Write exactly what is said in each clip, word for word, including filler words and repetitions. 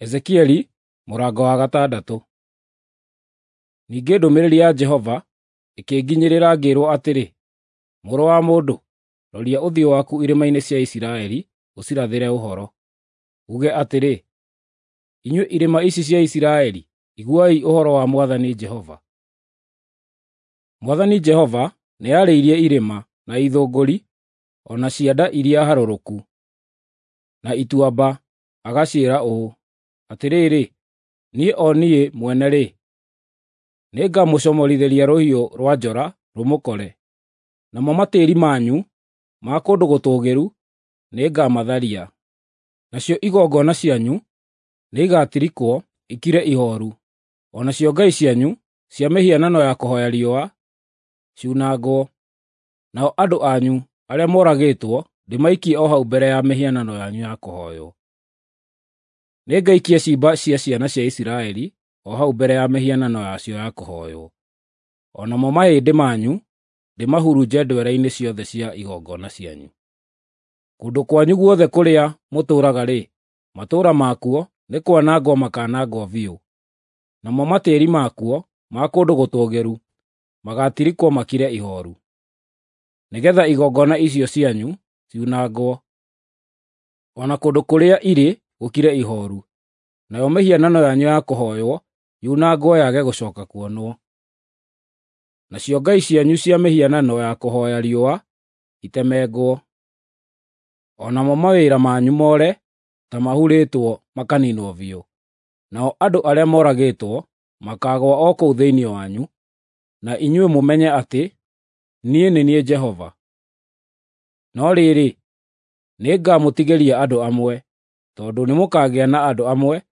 Ezekieli mũrango wa gatandatũ. Ningĩ ndũmĩrĩri ya Jehova ĩkĩnginyĩrĩra ngĩĩrwo atĩrĩ, Mũrũ wa mũndũ, roria ũthiũ waku irĩma-inĩ cia Isiraeli ũcirathĩre ũhoro. Uuge atĩrĩ, ‘Inyuĩ irĩma ici cia Isiraeli, iguai ũhoro wa Mwathani Jehova. Mwathani Jehova nĩarĩirie irĩma, na ithũngũri, o na cianda iria harũrũku, na ituamba, agaciĩra ũũ: Atĩrĩrĩ, niĩ o niĩ mwene-rĩ, nĩngamũcomorithĩria rũhiũ rwa njora rũmũkore, namo matĩĩri manyu ma kũndũ gũtũũgĩru nĩngamatharia, nacio igongona cianyu nĩigatirikwo ikire ihooru, o nacio ngai cianyu cia mĩhianano ya kũhooya riũa ciunangwo, nao andũ anyu arĩa moragĩtwo ndĩmaikie o hau mbere ya mĩhianano yanyu ya kũhooywo. Nĩngaikia ciimba cia ciana cia Isiraeli o hau mbere ya mĩhianano yacio ya kũhooywo, o namo mahĩndĩ manyu ndĩmahurunje ndwere-inĩ ciothe cia igongona cianyu. Kũndũ kwanyu guothe kũrĩa mũtũũraga-rĩ, matũũra makuo nĩ kwanangwo makaanangwo biũ, namo matĩĩri makuo ma kũndũ gũtũũgĩru magaatirikwo makire ihooru, nĩgeetha igongona icio cianyu ciunangwo, o na kũndũ kũrĩa irĩ gũkire ihooru, nayo mĩhianano yanyu ya kũhooywo yunangwo yage gũcooka kuonwo. Nacio ngai cianyu cia mĩhianano ya kũhooya riũa itemengwo, o namo mawĩra manyu more ta mahurĩtwo makaniinwo biũ. Nao andũ arĩa moragĩtwo makaagũa o kũu thĩinĩ wanyu, na inyuĩ mũmenye atĩ niĩ nĩ niĩ Jehova. No rĩrĩ, nĩngamũtigĩria andũ amwe, tondũ nĩmũkagĩa na andũ amwe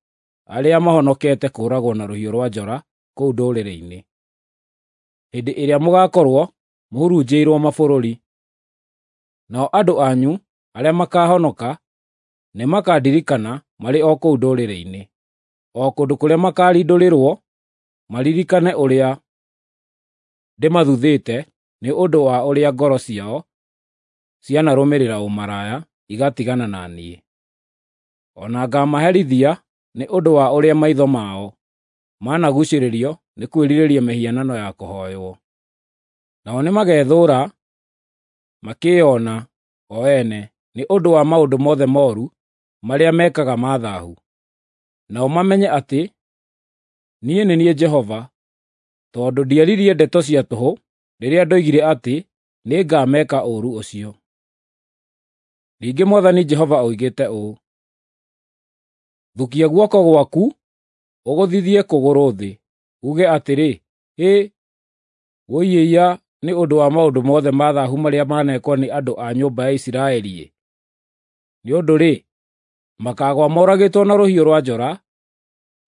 arĩa mahonokete kũũragwo na rũhiũ rwa njora kũu ndũrĩrĩ-inĩ, hĩndĩ ĩrĩa mũgaakorwo mũhurunjĩirwo mabũrũri. Nao andũ anyu arĩa makaahonoka nĩmakandirikana marĩ o kũu ndũrĩrĩ-inĩ, o kũndũ kũrĩa makaarindũrĩrwo maririkane ũrĩa ndĩmathuthĩte nĩ ũndũ wa ũrĩa ngoro ciao cianarũmĩrĩra ũmaraya igatigana na niĩ. O na ngaamaherithia nĩ ũndũ wa ũrĩa maitho mao managuucĩrĩrio nĩ kwĩrirĩria mĩhianano ya kũhooywo. Nao nĩmagethũũra makĩĩona o ene nĩ ũndũ wa maũndũ mothe mooru marĩa mekaga ma thaahu. Nao mamenye atĩ niĩ nĩ niĩ Jehova, tondũ ndiaririe ndeto cia tũhũ rĩrĩa ndoigire atĩ nĩngameka ũũru ũcio. Ningĩ Mwathani Jehova oigĩte ũũ: Thukia guoko gwaku ũgũthithie kũgũrũ thĩ, uuge atĩrĩ, ‘Hĩ, wũi-ĩiya nĩ ũndũ wa maũndũ mothe ma thaahu marĩa manekwo nĩ andũ a nyũmba ya Isiraeli-ĩ! Nĩ ũndũ-rĩ, makaagũa moragĩtwo na rũhiũ rwa njora,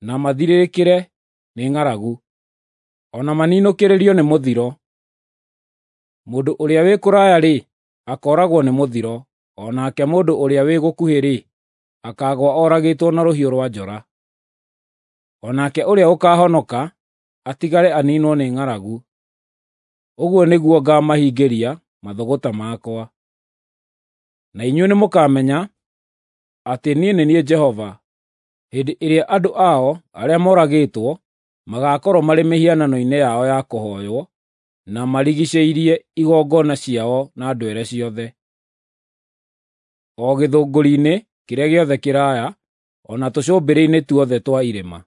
na mathirĩrĩkĩre nĩ ng'aragu, o na maninũkĩrĩrio nĩ mũthiro. Mũndũ ũrĩa wĩ kũraya-rĩ, akooragwo nĩ mũthiro, o nake mũndũ ũrĩa wĩ gũkuhĩ-rĩ, akaagũa oragĩtwo na rũhiũ rwa njora. O nake ũrĩa ũkaahonoka atigare aniinwo nĩ ng'aragu. Ũguo nĩguo ngaamahingĩria mathũgũta makwa. Na inyuĩ nĩmũkamenya atĩ niĩ nĩ niĩ Jehova, hĩndĩ ĩrĩa andũ ao arĩa moragĩtwo magaakorwo marĩ mĩhianano-inĩ yao ya kũhooywo, na marigiicĩirie igongona ciao na ndwere ciothe, o gĩthũngũri-inĩ kĩrĩa gĩothe kĩraaya, o na tũcũmbĩrĩ-inĩ tuothe twa irĩma,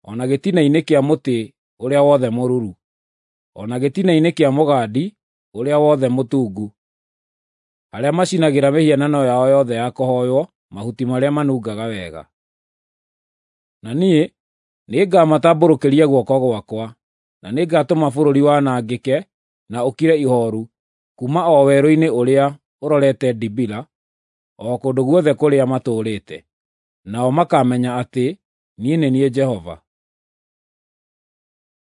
o na gĩtina-inĩ kĩa mũtĩ ũrĩa wothe mũruru, o na gĩtina-inĩ kĩa mũgandi ũrĩa wothe mũtungu, arĩa macinagĩra mĩhianano yao yothe ya kũhooywo mahuti marĩa manungaga wega. Na niĩ nĩngamatambũrũkĩria guoko gwakwa, na nĩngatũma bũrũri wanangĩke na ũkire ihooru kuuma o werũ-inĩ ũrĩa ũrorete Dibila, o kũndũ guothe kũrĩa matũũrĩte. Nao makaamenya atĩ niĩ nĩ niĩ Jehova.